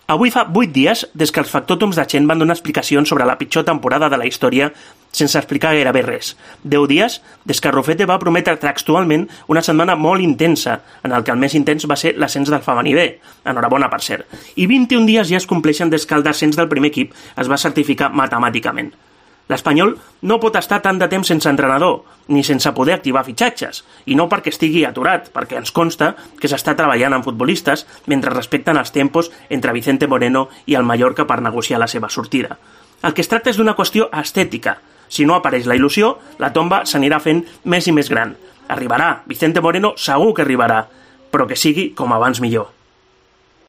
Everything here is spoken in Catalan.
Avui fa 8 dies des que els factòtums de Chen van donar explicacions sobre la pitjor temporada de la història sense explicar gairebé res. 10 dies des que Rufete va prometre textualment una setmana molt intensa, en el que el més intens va ser l'ascens del femení B. Enhorabona, per cert. I 21 dies ja es compleixen des que el descens del primer equip es va certificar matemàticament. L'Espanyol no pot estar tant de temps sense entrenador, ni sense poder activar fitxatges, i no perquè estigui aturat, perquè ens consta que s'està treballant amb futbolistes mentre respecten els tempos entre Vicente Moreno i el Mallorca per negociar la seva sortida. El que es tracta és d'una qüestió estètica. Si no apareix la il·lusió, la tomba s'anirà fent més i més gran. Arribarà, Vicente Moreno segur que arribarà, però que sigui com abans millor.